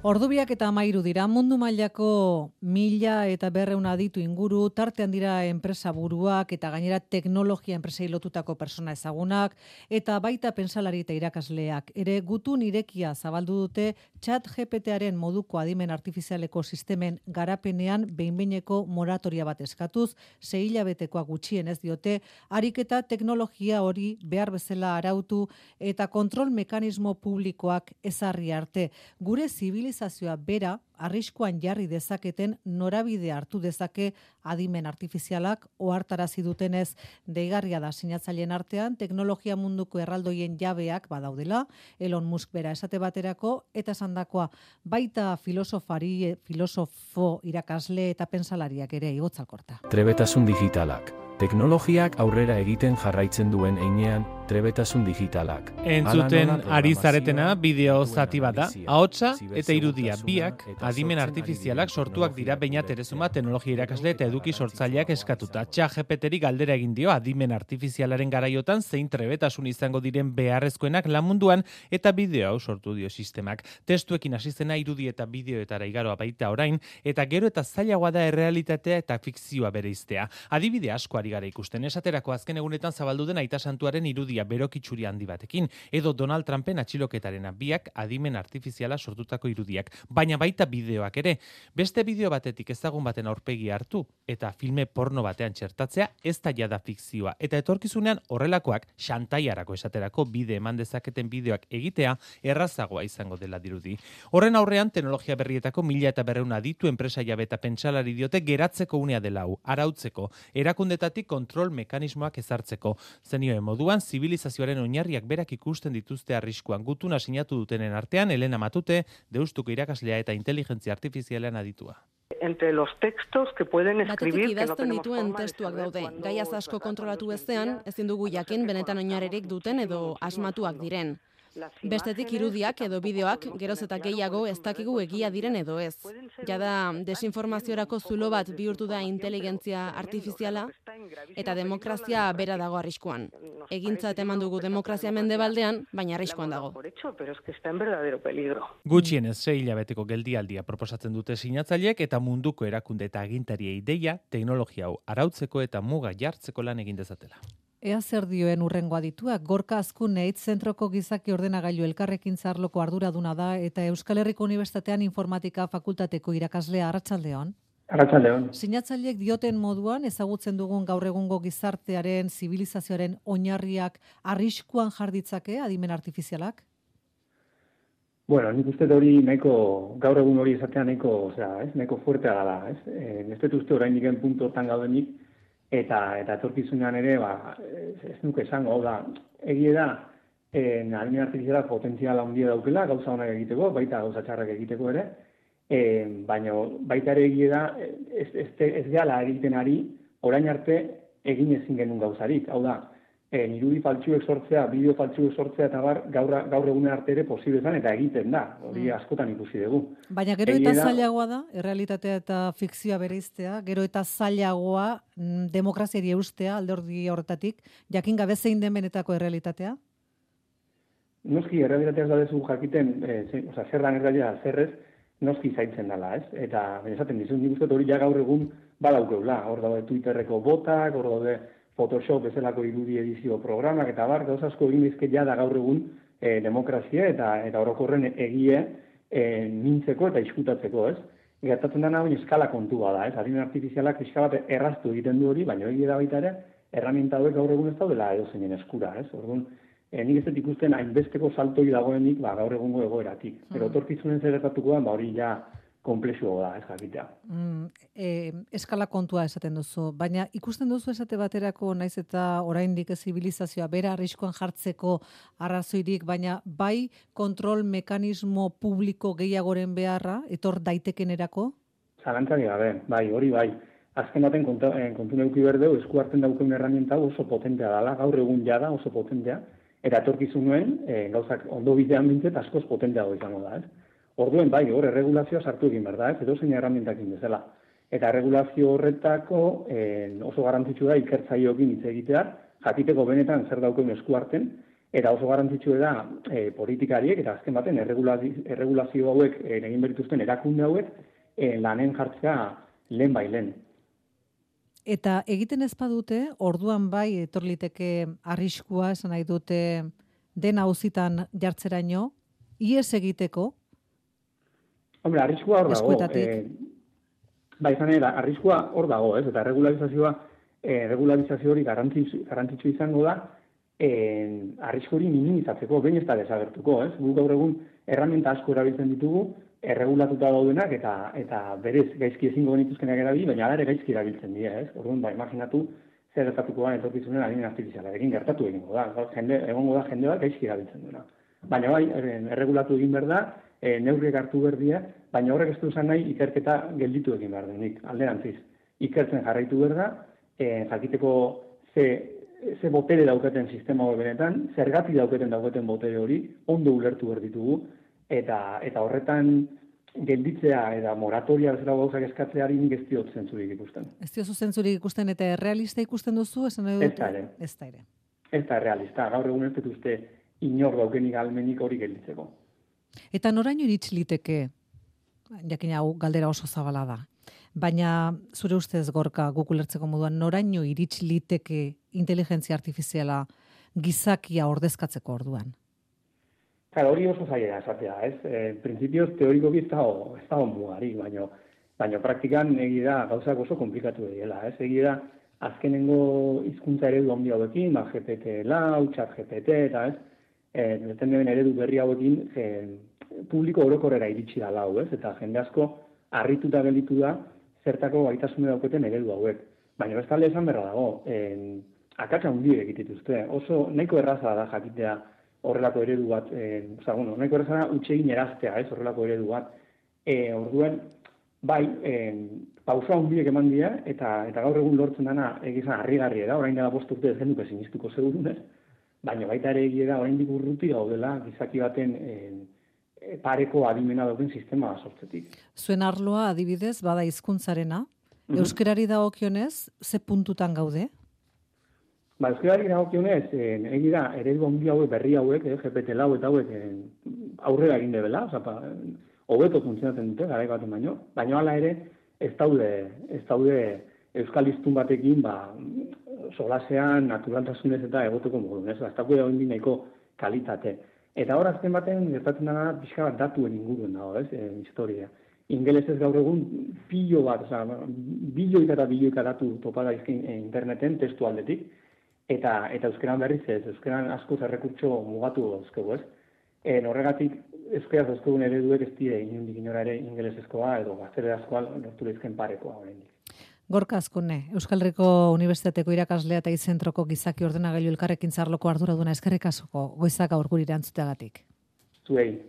Ordubiak eta 13 dira, mundu mailako 1.500 aditu inguru, tartean dira enpresa buruak eta gainera teknologia enpresei lotutako persona ezagunak, eta baita pentsalari eta irakasleak. Ere gutun irekia zabaldu dute ChatGPTaren moduko adimen artifizialeko sistemen garapenean behinbeineko moratoria bat eskatuz, 6 hilabetekoa gutxienez diote, ariketa teknologia hori behar bezala arautu eta kontrol mekanismo publikoak ezarri arte. Gure zibilizazioa bera arriskuan jarri dezaketen norabide hartu dezake adimen artifizialak ohartarazi dutenez. Deigarria da sinatzaileen artean teknologia munduko erraldoien jabeak badaudela, Elon Musk bera esate baterako, eta esandakoa baita filosofo, irakasle eta pentsalariak ere igotzalkorta. Trebetasun digitalak. Teknologiak aurrera egiten jarraitzen duen heinean, trebetasun digitalak. Entzuten ari zaretena bideo zati bat da, ahotsa eta irudia biak adimen artifizialak sortuak dira Beñat Erezuma teknologia irakasle eta eduki sortzaileak eskatuta. ChatGPTri galdera egin dio adimen artifizialaren garaiotan zein trebetasun izango diren beharrezkoenak lan munduan eta bideo hau sortu dio sistemak. Testuekin hasi zena irudi eta bideoetara igaroa baita orain eta gero eta zailagoa da errealitatea eta fikzioa bereiztea. Adibide asko ari gara ikusten, esaterako azken egunetan zabaldu den Aita Santuaren irudia berokitxuri handi batekin, edo Donald Trumpen atxiloketarena biak adimen artifiziala sortutako irudiak, baina baita bideoak ere. Beste bideo batetik ezagun baten aurpegi hartu eta filme porno batean txertatzea ez da jada fikzioa, eta etorkizunean horrelakoak xantaiarako esaterako bide eman dezaketen bideoak egitea errazagoa izango dela dirudi. Horren aurrean teknologia berrietako 1.200 aditu enpresa jabe eta pentsalari diote geratzeko unea dela hau, arautzeko, erakundetatik kontrol mekanismoak ezartzeko. Zenioen moduan, zibilizazioaren oinarriak berak ikusten dituzte arriskuan. Gutuna sinatu dutenen artean, Elena Matute, Deustuko irakaslea eta inteligentzia artifizialean aditua. Entre los textos que pueden escribir Batetik idazten dituen testuak daude. Gaiaz asko kontrolatu ezean, ezin dugu jakin benetan oinarririk duten edo asmatuak diren. Bestetik irudiak edo bideoak geroz eta gehiago ez dakigu egia diren edo ez. Jada desinformaziorako zulo bat bihurtu da inteligentzia artifiziala eta demokrazia bera dago arriskuan. Egintzat eman dugu demokrazia mendebaldean, baina arriskuan dago. Gutxienez 6 hilabeteko geldialdia proposatzen dute sinatzaileek eta munduko erakunde eta agintariei deia teknologia hau arautzeko eta muga jartzeko lan egin dezatela. Ea zer dioen urrengo adituak, Gorka Azkuneit zentroko gizaki ordenagailu elkarrekintza arloko arduraduna da eta Euskal Herriko Unibertsitatean informatika fakultateko irakaslea. Arratsaldeon. Arratsaldeon. Sinatzaileek dioten moduan ezagutzen dugun gaur egungo gizartearen, zibilizazioaren oinarriak arriskuan jarditzake adimen artifizialak? Bueno, nik uste hori nahiko, gaur egun hori esatea nahiko fuertea dela, ez? Ez dut uste oraindik puntuotan gaudenik, eta etorkizunean ere, ez nuke esango, hau da, egie da, adimen artifizialak potentziala handia daukela, gauza honak egiteko, baita gauza txarrak egiteko ere, baina baita ere egie da, ez gehala egiten ari, orain arte egin ezin genuen gauzarik, hau da, irudi faltsuek sortzea, bideo faltsuek sortzea eta gaur egun arte ere posible zen eta egiten da, hori askotan ikusi dugu. Baina gero eta zailagoa da, errealitatea eta fikzioa bereiztea, gero eta zailagoa demokraziari eustea alderdi horretatik, jakin gabe zein den benetako errealitatea? Noski, errealitateaz badezu jakiten, zer dan errealitatea zerrez, noski zaintzen dela, ez? Eta, esaten dizun, nik uste hori ja gaur egun badaukeula, hor daude Twitterreko botak, hor daude Photoshop bezalako irudi edizio programak eta gauza asko egin dizke da gaur egun demokrazia eta orokorren egie mintzeko eta iskutatzeko, ez? Gertatzen dena hori eskala kontua da, ez? Adimen artifizialak pixka bat erraztu egiten du hori, baina egia da baita ere, erraminta hauek gaur egun ez daudela edozeinen eskura, ez? Orduan, nik ez dut ikusten hainbesteko saltoi dagoenik gaur egungo egoeratik. Pero etorkizunen zer gertatuko da, hori ja komplexua da, ez jakitea. Eskala kontua esaten duzu, baina ikusten duzu esate baterako naiz eta oraindik zibilizazioa bera arriskuan jartzeko arrazoirik, baina bai kontrol mekanismo publiko gehiagoren beharra, etor daitekenerako? Zalantzarik gabe, bai, hori bai. Azken baten kontu neuki berdeu, esku hartzen daukeun erramienta oso potentea dela, gaur egun jada oso potentea, eta etorkizunuen gauzak ondo bidean bintzet askoz potenteago izango da, ez? Orduen, bai, hor, erregulazioa sartu egin behar da, ez? Edo zein erramientakin bezala. Eta erregulazio horretako oso garrantzitsua da ikertzaioekin hitz egitea, jakiteko benetan zer daukeun esku harten, Eta oso garrantzitsua da politikariek eta azken baten erregulazio hauek egin berituzten erakunde hauek lanen jartzea lehen bai lehen. Eta egiten ez badute, orduan bai etorliteke arriskua, esan nahi dute dena auzitan jartzeraino, ihes egiteko? Hombre, arriskua hor dago. Izan ere, arriskua hor dago, ez? Eta regularizazio hori garrantzitsu izango da, arrisko hori minimizatzeko, behin ez da desagertuko, ez? Guk gaur egun erramenta asko erabiltzen ditugu, erregulatuta daudenak eta berez gaizki ezingo genituzkenak erabili, baina ere gaizki erabiltzen dira, ez? Orduan, imaginatu zer gertatuko da etorkizunen adimen artifizialarekin gertatu egingo da. Egongo da jende bat gaizki erabiltzen duena. Baina bai, erregulatu egin behar da, neurriek hartu behar dira, baina horrek ez du esan nahi ikerketa gelditu egin behar denik, alderantziz. Ikertzen jarraitu behar da, jakiteko ze botere dauketen sistema hori benetan, zergatik dauketen botere hori, ondo ulertu behar ditugu, eta horretan gelditzea eta moratoria bezala gauzak eskatzeari nik ez diot zentzurik ikusten. Ez diozu zentzurik ikusten eta errealista ikusten duzu? Ez da ere. Ez da realista, gaur egun ez dituzte inor daukenik almenik hori gelditzeko. Eta noraino iritsi liteke, jakin hau galdera oso zabala da, baina zure ustez Gorka guk ulertzeko moduan noraino iritsi liteke inteligentzia artifiziala gizakia ordezkatzeko orduan? Claro, hori oso zaila esatea, ez? Printzipioz teorikoki ez dago mugari, baina praktikan egi da gauzak oso komplikatu dela, ez? Egi da azkenengo hizkuntza eredu handi hauekin, GPT-4, ChatGPT eta ez? Deten eredu berri hauekin publiko orokorrera iritsi da lau, ez? Eta jende asko harrituta gelditu da zertako gaitasune dauketen eredu hauek. Baina bestalde esan berra dago, akatsa hundiek egitituzte. Oso nahiko erraza da jakitea horrelako eredu bat, nahiko erraza da utxegin eraztea, ez? Horrelako eredu bat. Orduen, bai, pausa hundiek eman dira, eta gaur egun lortzen dana egizan harrigarria da, orain dela 5 urte ez genuke sinistuko segurunez, baina baita ere egia da oraindik urruti gaudela gizaki baten pareko adimena dauken sistema sortzetik. Zuen arloa adibidez bada hizkuntzarena, euskarari dagokionez ze puntutan gaude? Euskarari dagokionez, egi da eredu handi hauek berri hauek, GPT-4 eta hauek aurrera egin debela, hobeto funtzionatzen dute garaiko baten baina hala ere ez daude euskal hiztun batekin solasean, naturaltasunez eta egoteko modun, ez? Ez dago egin nahiko kalitate. Eta hor azken baten gertatzen dena pixka bat datuen inguruen dago, ez? Historia. Ingelesez gaur egun bilioika datu topa daizkin interneten testu aldetik, eta euskeran berriz ez, euskeran askoz errekurtso mugatu dauzkegu, ez? Horregatik euskaraz dauzkegun ereduek ez dire inondik inora ere ingelesezkoa edo gaztelerazkoa lortu lehizken parekoa oraindik. Gorka Azkune, Euskal Herriko Unibertsitateko irakaslea eta izentroko gizaki ordenagailu elkarrekin zarloko arduraduna eskerrik asko goizak gaur guri erantzuteagatik. Zuei.